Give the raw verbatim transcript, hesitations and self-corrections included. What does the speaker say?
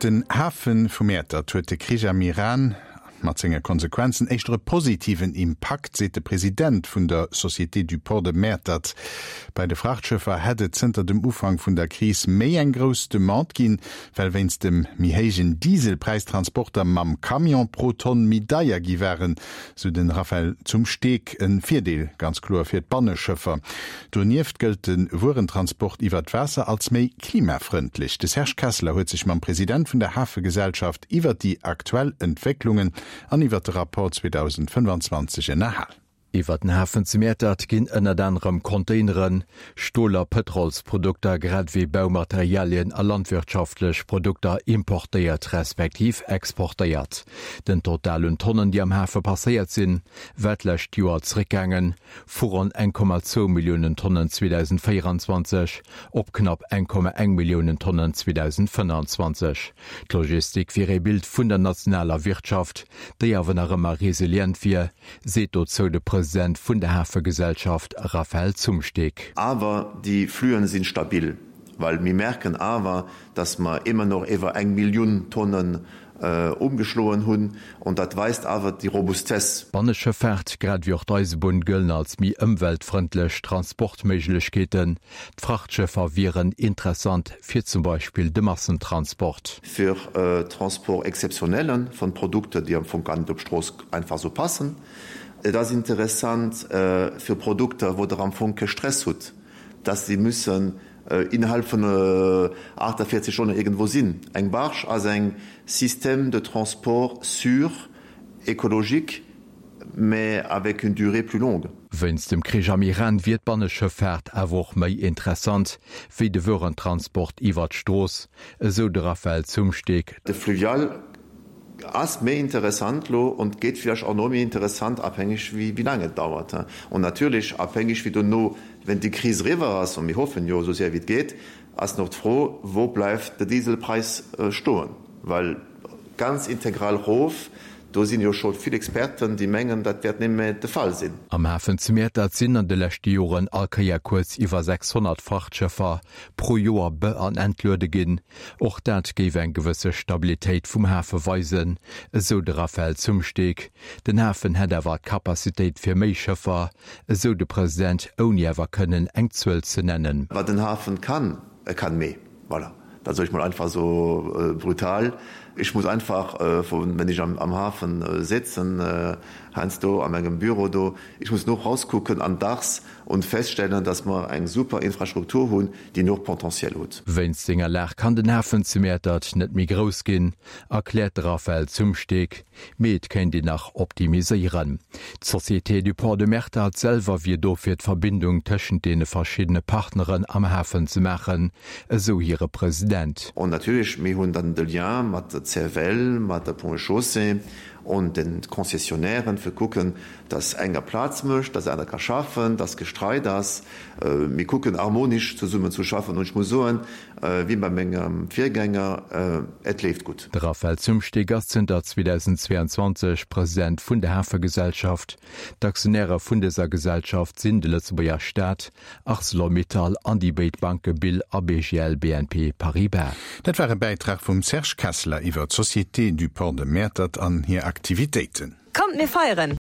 Op den Hafe vu Mäertert huet de Krich am Iran mat senge Konsequenzen éischter e positiven Impakt, seet de President vun der Société du Port de Mäertert. Bei de Frachtschëffer hätt et zënter dem Ufank vun der Kris méi eng grouss Demande ginn, well wéinst dem méi héijen Dieselpräis Transporter mam Camion pro Tonn méi deier gi waren, sou de Raphaël Zumsteeg. E Virdeel ganz kloer fir d'Banneschëffer. Donieft gëllt de Wuerentransport iwwer d'Waasser als méi klimafrëndlech. De Serge Kesseler huet sech mam President vun der Hafegesellschaft iwwer déi aktuell Entwécklungen an iwwer de Rapport zweedausendfënnefanzwanzeg ënnerhal. Iwwer den Hafen zu Mäertert ginn ënnert anerem Containeren, Stol a Pëtrolsprodukter grad ewéi Baumaterialien a landwirtschaftlech Produkter importéiert respektiv exportéiert. Den Total un Tonnen, déi am Hafe passéiert sinn, war d'lescht Joer zeréckgaangen, vu ronn eng Komma zwou Milliounen Tonnen zweedausendvéieranzwanzeg op knapp eng Komma eng Milliounen Tonnen zweedausendfënnanzwanzeg. D'Logistik wier ee Bild vun der nationaler Wirtschaft, déi awer nach ëmmer resilient wier, seet dozou de President vun der Hafegesellschaft Raphaël Zumsteeg. Awer déi Fluen sinn stabil, well mir merken awer, dass mer ëmmer noch iwwer eng Millioun Tonnen umgeschloen hunn, an dat weist awer déi Robustesse. D'Banneschëffaart, grad ewéi och d'Eisebunn gëllen als méi ëmweltfrëndlech Transportméiglechkeeten. D'Frachtschëffer wieren interessant fir zum Beispill de Massentransport. Fir Transport exceptionnel von Produkter, déi am Fong gar net op d'Strooss einfach sou passen. Et ass interessant fir Produkter, wou Der am Fong ke Stress hutt, dass se müssen innerhalb vun achtundvierzeg Stonnen irgendwo sinn. Eng Barge ass eng Système de transport sûr, écologique, mais avec une durée plus longue. Wéinst dem Krich am Iran wier d'Banneschëffaart awer och méi interessant wéi de Wuerentransport iwwer d'Strooss, esou de Raphaël Zumsteeg. De Fluvial ass méi interessant lo und gétt vläicht och no méi interessant, abhängig wéi wéi laang et dauert und natierlech abhängig wéi dono, wenn déi Kris eriwwer ass, und mir hoffen jo esou séier wéi et geet, ass nach d'Fro, wou bleift de Dieselpräis stoen, well ganz integral rof, do sinn jo scho vill Experten, déi mengen, dat wäert net méi de Fall sinn. Am Hafen zu Mäertert sinn an de leschte Joren all Kéier kuerz iwwer sechshonnert Frachtschëffer pro Joer be an entluede ginn. Och dat géif eng gewësse Stabilitéit vum Hafe weisen, esou de Raphaël Zumsteeg. Den Hafen hätt awer d'Capacitéit fir méi Schëffer, esou de President, ouni awer kënnen eng Zuel ze nennen. Wat den Hafen kann, e kann méi. Voilà. Dat soe ech mol einfach esou brutal. Ech muss einfach, wenn ech am Hafen sitzen, heiansdo a mengem Büro do, ech muss no rauskucken an Dachs und feststellen, dass mer eng super Infrastruktur hunn, déi noch Potentiel huet. Wéinst senger Lag kann den Hafen zu Mäertert net méi grouss ginn, erkläert de Raphaël Zumsteeg, mee et kéint een nach optimiséieren. D'Société du Port de Mäertert selwer wier do fir d'Verbindung tëschent deene verschiddene Partneren am Hafen ze maachen, esou hire President. An natierlech, mir hunn dann de Lien mat der C F L, mat der Ponts et Chaussées und den Concessionnairen, fir kucken, dass enger Plaz mécht, dass aner ka schaffen, dass gestreit ass. Mir kucken harmonisch zesummen zu schaffen und ech muss soen, wéi bei mengem Virgänger, et leeft gutt. De Raphaël Zumsteeg ass zënter zweedausendzweeanzwanzeg President vun der Hafegesellschaft. D'Aktionäre vun dëser Gesellschaft sinn de Lëtzebuerger Staat, Arcelor-Mittal an déi béid Banke B I L a B G L B N P Paribas. Dat war e Bäitrag vum Serge Kesseler iwwer d'Société du Port de Mäertert an hir Aktivitéiten. Kommt mir feieren!